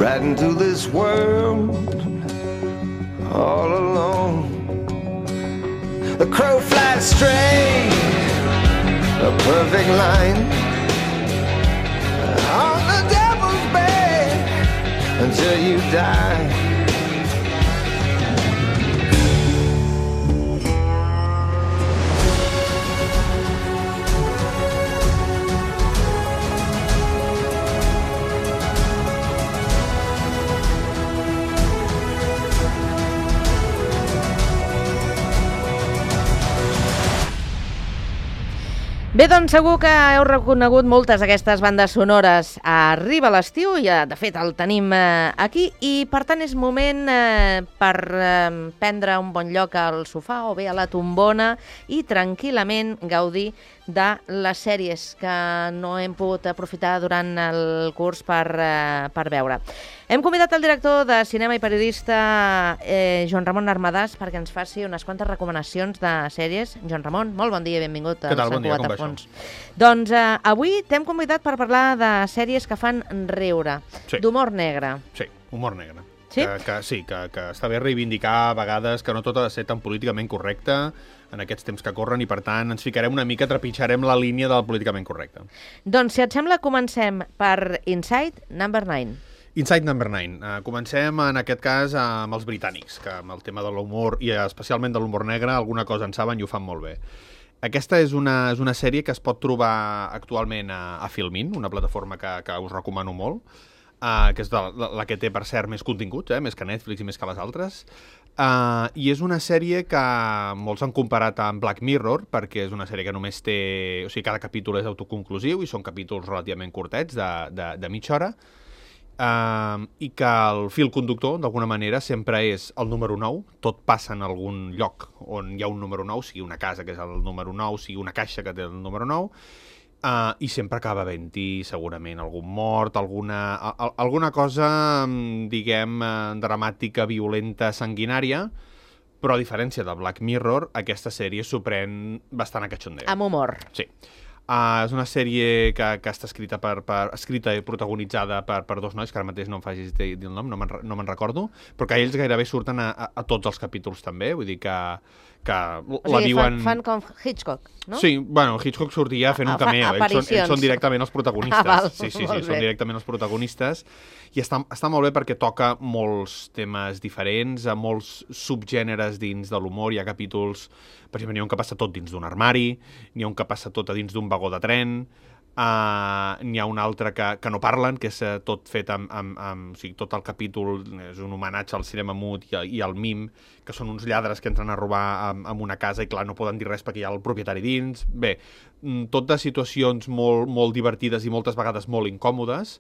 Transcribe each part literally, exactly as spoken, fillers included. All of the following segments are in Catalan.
right into this world all alone. The crow flies straight, a perfect line, on the devil's bed until you die. Bé, doncs segur que heu reconegut moltes d'aquestes bandes sonores. Arriba l'estiu, ja de fet el tenim eh, aquí, i per tant és moment eh, per eh, prendre un bon lloc al sofà o bé a la tombona i tranquil·lament gaudir de les sèries que no hem pogut aprofitar durant el curs per, eh, per veure. Hem convidat el director de cinema i periodista eh, Joan Ramon Armadàs perquè ens faci unes quantes recomanacions de sèries. Joan Ramon, molt bon dia i benvingut a Sant Cugat a Fons. Doncs eh, avui t'hem convidat per parlar de sèries que fan riure, sí. d'humor negre. Sí, humor negre. Sí? Que, que, sí, que, que està bé reivindicar a vegades que no tot ha de ser tan políticament correcte en aquests temps que corren i, per tant, ens ficarem una mica, trepitjarem la línia del políticament correcte. Doncs, si et sembla, comencem per Inside Number nine. Inside Number nine. Uh, comencem, en aquest cas, amb els britànics, que amb el tema de l'humor, i especialment de l'humor negre, alguna cosa en saben i ho fan molt bé. Aquesta és una, és una sèrie que es pot trobar actualment a, a Filmin, una plataforma que, que us recomano molt, uh, que és de, la, la que té, per cert, més continguts, eh, més que Netflix i més que les altres. Uh, I és una sèrie que molts han comparat amb Black Mirror, perquè és una sèrie que només té... O sigui, cada capítol és autoconclusiu i són capítols relativament curtets, de, de, de mitja hora, uh, i que el fil conductor, d'alguna manera, sempre és el número nou. Tot passa en algun lloc on hi ha un número nou, sigui una casa que és el número nou, sigui una caixa que té el número nou, Uh, i sempre acaba havent-hi segurament algun mort, alguna, a, a, alguna cosa, diguem, uh, dramàtica, violenta, sanguinària, però a diferència de Black Mirror, aquesta sèrie s'ho pren bastant a cachondeo. Amb humor. Sí. Uh, és una sèrie que, que està escrita per, per escrita i protagonitzada per, per dos nois, que ara mateix no em facis dir el nom, no me'n no me'n recordo, però que ells gairebé surten a, a, a tots els capítols també, vull dir que, que o la sigui, viuen... fan, fan com Hitchcock, no? Sí, bueno, Hitchcock sortia fent un cameo, ells són, ells són directament els protagonistes. Ah, val, sí, sí, sí, són directament els protagonistes, i està, està molt bé perquè toca molts temes diferents, a molts subgèneres dins de l'humor. Hi ha capítols, per exemple, n'hi ha un que passa tot dins d'un armari, n'hi ha un que passa tot a dins d'un vagó de tren, Uh, n'hi ha un altre que, que no parlen, que és uh, tot fet amb, amb, amb... O sigui, tot el capítol és un homenatge al cinema mut i, i al mim, que són uns lladres que entren a robar amb, amb una casa i, clar, no poden dir res perquè hi ha el propietari dins. Bé, tot de situacions molt, molt divertides i moltes vegades molt incòmodes,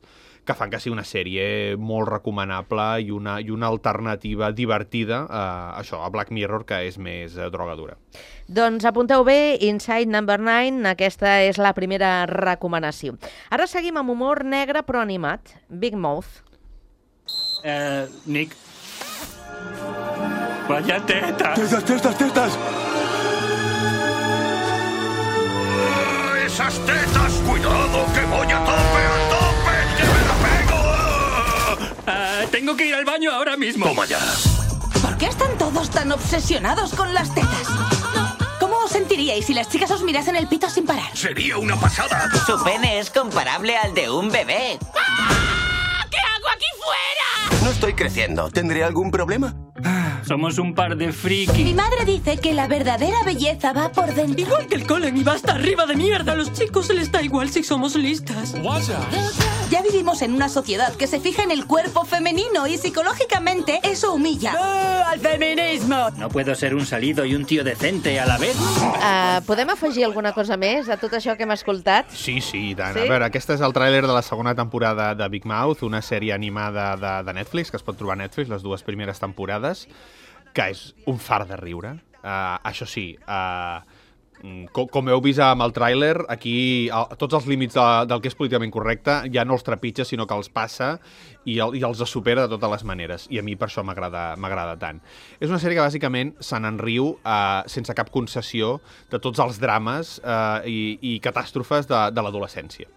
que fan que sigui una sèrie molt recomanable i una, i una alternativa divertida a això, a Black Mirror, que és més eh, drogadura. Doncs apunteu bé, Inside Number nine, aquesta és la primera recomanació. Ara seguim amb humor negre però animat, Big Mouth. Eh, Nick. Vaya tetas. Tetas, tetas, tetas. ¡Esas tetas! ¡Cuidado, que voy a tope, a tope! ¡Que me la pego! Uh, tengo que ir al baño ahora mismo. ¡Toma ya! ¿Por qué están todos tan obsesionados con las tetas? ¿Cómo os sentiríais si las chicas os mirasen el pito sin parar? ¡Sería una pasada! Su pene es comparable al de un bebé. ¡Ah! ¿Qué hago aquí fuera? No estoy creciendo. ¿Tendré algún problema? Somos un par de frikis. Mi madre dice que la verdadera belleza va por dentro. Igual que el Colen y va hasta arriba de mierda. A los chicos se les da igual si somos listas. Ya vivimos en una sociedad que se fija en el cuerpo femenino y psicológicamente eso humilla. ¡Oh, al feminismo! No puedo ser un salido i un tio decente a la vez. Uh, podem afegir alguna cosa més a tot això que hem escoltat? Sí, sí, i tant. Sí? A veure, aquest és el tràiler de la segona temporada de Big Mouth, una sèrie animada de, de Netflix, que es pot trobar a Netflix, les dues primeres temporades, que és un far de riure. Uh, això sí, uh, com, com heu vist amb el tràiler, aquí a, tots els límits de, del que és políticament correcte ja no els trepitja, sinó que els passa i, el, i els supera de totes les maneres. I a mi per això m'agrada tant. És una sèrie que bàsicament se n'enriu uh, sense cap concessió de tots els drames uh, i, i catàstrofes de, de l'adolescència.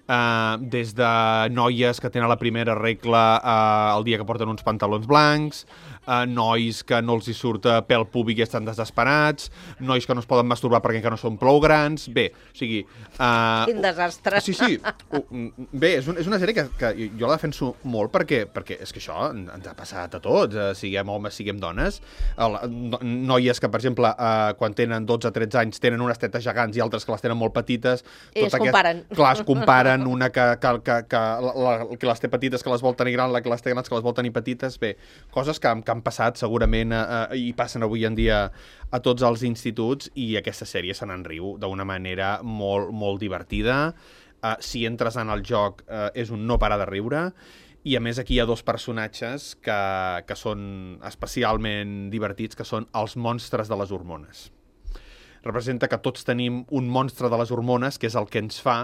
uh, des de noies que tenen la primera regla uh, el dia que porten uns pantalons blancs, Uh, nois que no els hi surt pèl púbic i estan desesperats, nois que no es poden masturbar perquè encara no són prou grans. Bé, o sigui... Uh, Quin desastre. Sí, sí. Uh, bé, és, un, és una sèrie que, que jo la defenso molt perquè, perquè és que això ens ha passat a tots, uh, siguem homes, siguem dones. Uh, no, noies que, per exemple, uh, quan tenen dotze o tretze anys tenen unes tetes gegants i altres que les tenen molt petites. I es aquest... comparen. Clar, es comparen, una que, que, que, que, la, que les té petites que les vol tenir grans, la que les té grans que les vol tenir petites. Bé, coses que, que han passat segurament uh, i passen avui en dia a tots els instituts, i aquesta sèrie se n'en riu d'una manera molt, molt divertida. Uh, si entres en el joc uh, és un no parar de riure, i a més aquí hi ha dos personatges que, que són especialment divertits, que són els monstres de les hormones. Representa que tots tenim un monstre de les hormones, que és el que ens fa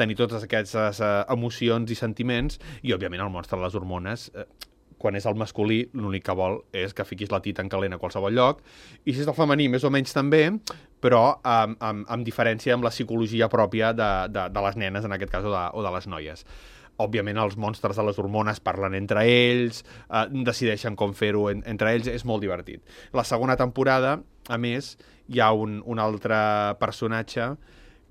tenir totes aquestes uh, emocions i sentiments, i òbviament el monstre de les hormones... Uh, quan és el masculí, l'únic que vol és que fiquis la tita en calent a qualsevol lloc, i si és el femení, més o menys també, però amb, amb, amb diferència amb la psicologia pròpia de, de, de les nenes, en aquest cas, o de, o de les noies. Òbviament, els monstres de les hormones parlen entre ells, eh, decideixen com fer-ho en, entre ells, és molt divertit. La segona temporada, a més, hi ha un, un altre personatge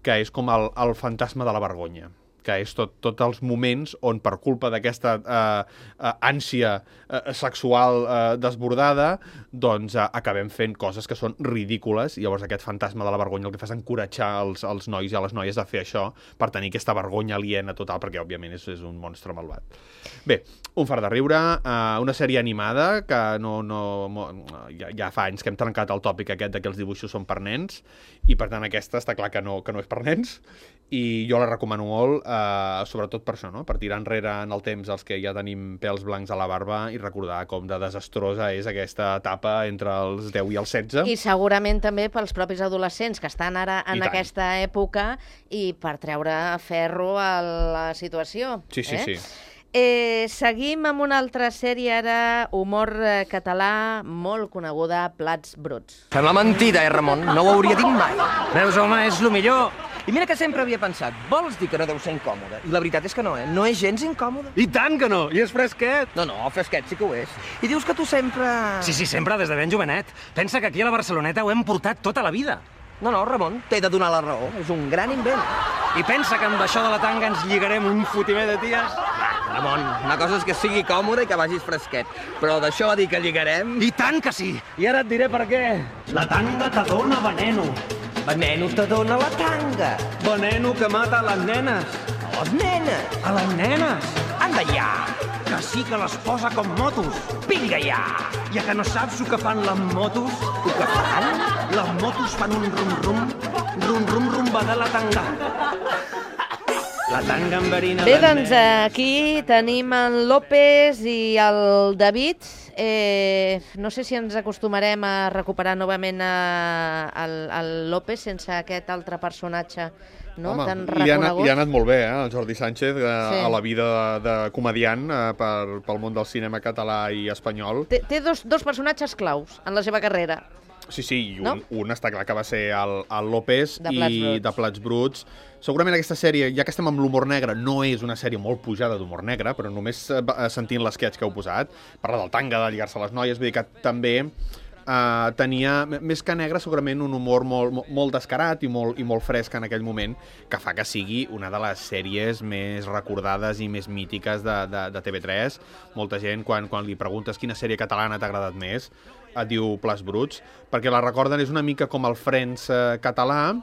que és com el, el fantasma de la vergonya, que és tot, tots els moments on, per culpa d'aquesta eh, eh, ànsia eh, sexual eh, desbordada, doncs eh, acabem fent coses que són ridícules, i llavors aquest fantasma de la vergonya el que fa és encoratjar els, els nois i a les noies a fer això per tenir aquesta vergonya aliena total, perquè òbviament és, és un monstre malvat. Bé, un fart de riure, eh, una sèrie animada que no, no, ja, ja fa anys que hem trencat el tòpic aquest de que els dibuixos són per nens, i per tant aquesta està clar que no, que no és per nens, i jo la recomano molt, eh, sobretot per això, no? Per tirar enrere en el temps els que ja tenim pèls blancs a la barba i recordar com de desastrosa és aquesta etapa entre els deu i els setze. I segurament també pels propis adolescents que estan ara en aquesta època, i per treure ferro a la situació. Sí, sí, eh? sí. Eh, seguim amb una altra sèrie ara, humor eh, català, molt coneguda, Plats bruts. Sembla mentida, eh, Ramon? No ho hauria dit mai. Veus, home, és lo millor. I mira que sempre havia pensat, vols dir que no deu ser incòmode? I la veritat és que no, eh? No és gens incòmode. I tant que no, i és fresquet. No, no, fresquet sí que ho és. I dius que tu sempre... Sí, sí, sempre, des de ben jovenet. Pensa que aquí a la Barceloneta ho hem portat tota la vida. No, no, Ramon, t'he de donar la raó. És un gran invent. I pensa que amb això de la tanga ens lligarem un fotimer de ties? Ramon, una cosa és que sigui còmode i que vagis fresquet, però d'això a dir que lligarem... I tant que sí! I ara et diré per què. La tanga te dona veneno. Veneno te dona la tanga. Veneno que mata a les nenes. A les nenes? A les nenes. Anda ja! Que sí que les posa com motos. Vinga ja! Ja que no saps el que fan les motos? El que fan? Les motos fan un rum-rum, rum-rum rumba de la tanga. La tanga enverina... Bé, doncs aquí tenim en López i el David. Eh, no sé si ens acostumarem a recuperar novament a, el, el López sense aquest altre personatge, no? Home, tan li ha, anat, reconegut. li ha anat molt bé, eh, el Jordi Sánchez, eh, Sí. a la vida de, de comediant eh, per, pel món del cinema català i espanyol. Té, té dos, dos personatges claus en la seva carrera. Sí, sí, i un, No? un està clar que va ser el, el López De Plats i bruts. de Plats bruts. Segurament aquesta sèrie, ja que estem amb l'humor negre, no és una sèrie molt pujada d'humor negre, però només eh, sentint l'esquetx que heu posat, parla del tanga, de lligar-se a les noies, vull dir que també eh, tenia, més que negre, segurament un humor molt, molt, molt descarat i molt, i molt fresc en aquell moment, que fa que sigui una de les sèries més recordades i més mítiques de, de, de T V tres. Molta gent, quan, quan li preguntes quina sèrie catalana t'ha agradat més, et diu Plats bruts, perquè la recorden, és una mica com el Friends eh, català,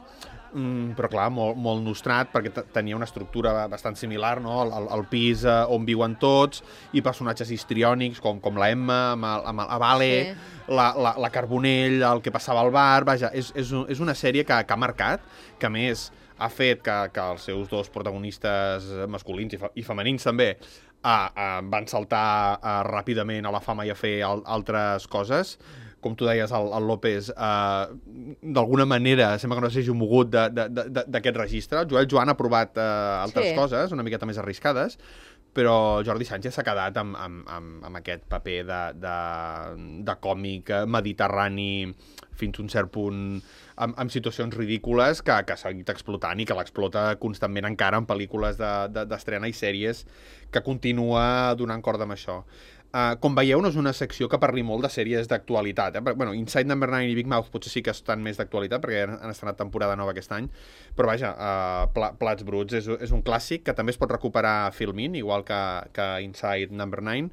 mm, però clar, molt, molt nostrat, perquè tenia una estructura bastant similar, no? El, el, el pis eh, on viuen tots, i personatges histriònics, com, com la Emma, amb, el, amb el, Vale, sí. la, la, la Carbonell, el que passava al bar, vaja, és, és, és una sèrie que, que ha marcat, que a més ha fet que, que els seus dos protagonistes masculins i, fe, i femenins també Ah, ah, van saltar ah, ràpidament a la fama i a fer al altres coses. Com tu deies, el, el López, ah, d'alguna manera, sembla que no s'hagi mogut d'aquest registre. El Joel Joan ha provat ah, altres sí. coses, una miqueta més arriscades, però Jordi Sánchez s'ha quedat amb, amb, amb, amb aquest paper de, de, de còmic mediterrani fins a un cert punt amb, amb situacions ridícules que, que s'ha seguit explotant i que l'explota constantment encara en pel·lícules d'estrena de, de, i sèries que continua donant corda amb això. Uh, com veieu, no és una secció que parli molt de sèries d'actualitat. Eh? Bueno, Inside Number nine i Big Mouth potser sí que estan més d'actualitat perquè han, han estrenat temporada nova aquest any, però vaja, uh, pla, Plats Bruts és, és un clàssic que també es pot recuperar a Filmin, igual que, que Inside Number nine,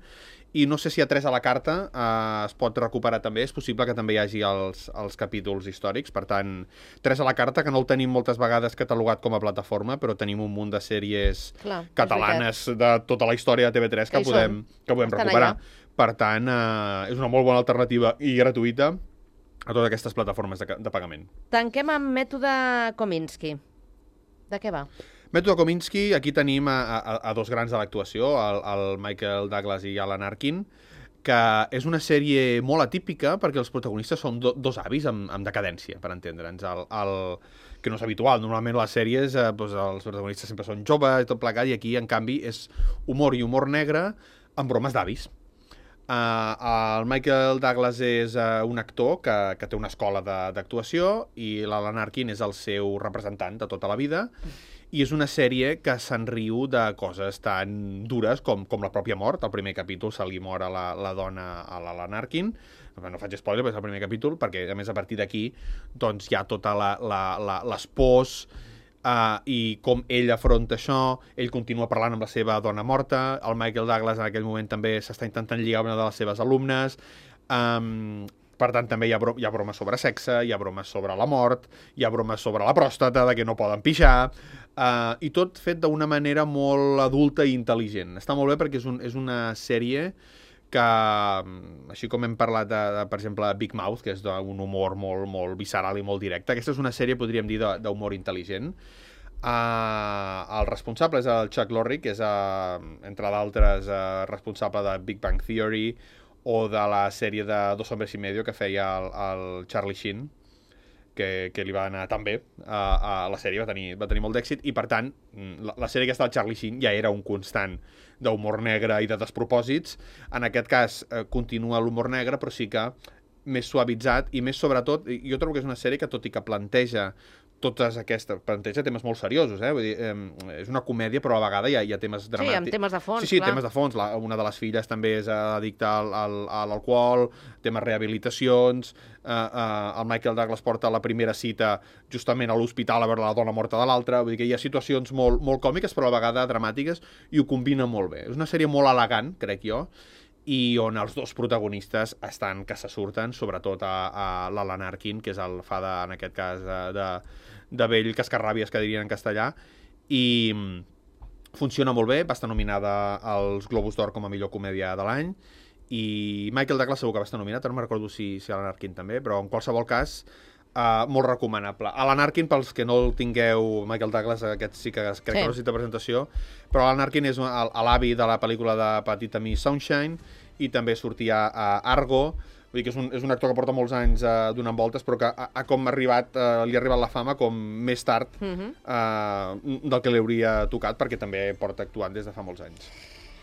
i no sé si a Tres a la carta uh, es pot recuperar també, és possible que també hi hagi els, els capítols històrics, per tant, Tres a la carta, que no el tenim moltes vegades catalogat com a plataforma, però tenim un munt de sèries Clar, catalanes de tota la història de T V tres que, que podem, que podem recuperar. Allà. Per tant, uh, és una molt bona alternativa i gratuïta a totes aquestes plataformes de, de pagament. Tanquem amb Mètode Kominsky. De què va? Mètode Kominsky, aquí tenim a, a, a dos grans de l'actuació, el, el Michael Douglas i Alan Arkin, que és una sèrie molt atípica perquè els protagonistes són do, dos avis amb, amb decadència, per entendre'ns. El, el, que no és habitual. Normalment les sèries, eh, doncs els protagonistes sempre són joves i tot plegat, i aquí, en canvi, és humor i humor negre amb bromes d'avis. Uh, el Michael Douglas és uh, un actor que, que té una escola d'actuació i l'Alan Arkin és el seu representant de tota la vida. I és una sèrie que se'n riu de coses tan dures com, com la pròpia mort. El primer capítol se li mor a la, la dona a l'Alan Arkin. No faig spoiler, però és el primer capítol, perquè a més a partir d'aquí doncs, hi ha tota la, la, la, les pors uh, i com ell afronta això. Ell continua parlant amb la seva dona morta. El Michael Douglas en aquell moment també s'està intentant lligar una de les seves alumnes. Um, Per tant, també hi ha, bro hi ha bromes sobre sexe, hi ha bromes sobre la mort, hi ha bromes sobre la pròstata, de que no poden pixar, uh, i tot fet d'una manera molt adulta i intel·ligent. Està molt bé perquè és, un, és una sèrie que, així com hem parlat, de, de, per exemple, Big Mouth, que és d'un humor molt, molt visceral i molt directe, aquesta és una sèrie, podríem dir, d'humor intel·ligent. Uh, el responsable és el Chuck Lorre, que és, uh, entre d'altres, uh, responsable de Big Bang Theory, o de la sèrie de Dos hombres y medio que feia el, el Charlie Sheen, que, que li va anar tan bé a, a la sèrie, va tenir, va tenir molt d'èxit, i per tant, la, la sèrie aquesta del Charlie Sheen ja era un constant d'humor negre i de despropòsits. En aquest cas eh, continua l'humor negre, però sí que més suavitzat i més sobretot, jo trobo que és una sèrie que tot i que planteja totes aquestes, planteja temes molt seriosos, eh? Vull dir, eh, és una comèdia, però a la vegada hi ha, hi ha temes dramàtics. Sí, amb temes de fons, Sí, sí, clar. temes de fons. La, una de les filles també és addicta al, al, a l'alcohol, temes rehabilitacions, eh, eh, el Michael Douglas porta la primera cita justament a l'hospital a veure la dona morta de l'altra, vull dir que hi ha situacions molt, molt còmiques, però a la vegada dramàtiques, i ho combina molt bé. És una sèrie molt elegant, crec jo, i on els dos protagonistes estan que se surten, sobretot a, a l'Alan Arkin, que és el fa de, en aquest cas, de, de, de vell cascarràbies, que dirien en castellà, i funciona molt bé, va estar nominada als Globus d'Or com a millor comèdia de l'any, i Michael Douglas segur que va estar nominat, no me'n recordo si, si Alan Arkin també, però en qualsevol cas, Uh, molt recomanable. Alan Arkin, pels que no el tingueu, Michael Douglas, aquest sí que crec sí. que no necessita presentació, però Alan Arkin és l'avi de la pel·lícula de Petita Miss Sunshine, i també sortia a Argo. Vull dir que és un, és un actor que porta molts anys uh, donant voltes, però que ha, ha com arribat, uh, li ha arribat la fama com més tard uh, uh, del que li hauria tocat, perquè també porta actuant des de fa molts anys.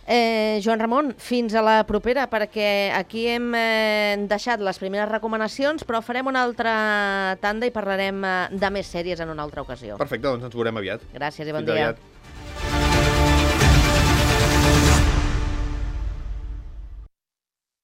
Eh, Joan Ramon, fins a la propera, perquè aquí hem eh, deixat les primeres recomanacions, però farem una altra tanda i parlarem eh, de més sèries en una altra ocasió. Perfecte, doncs ens veurem aviat. Gràcies i bon Fins dia. Aviat.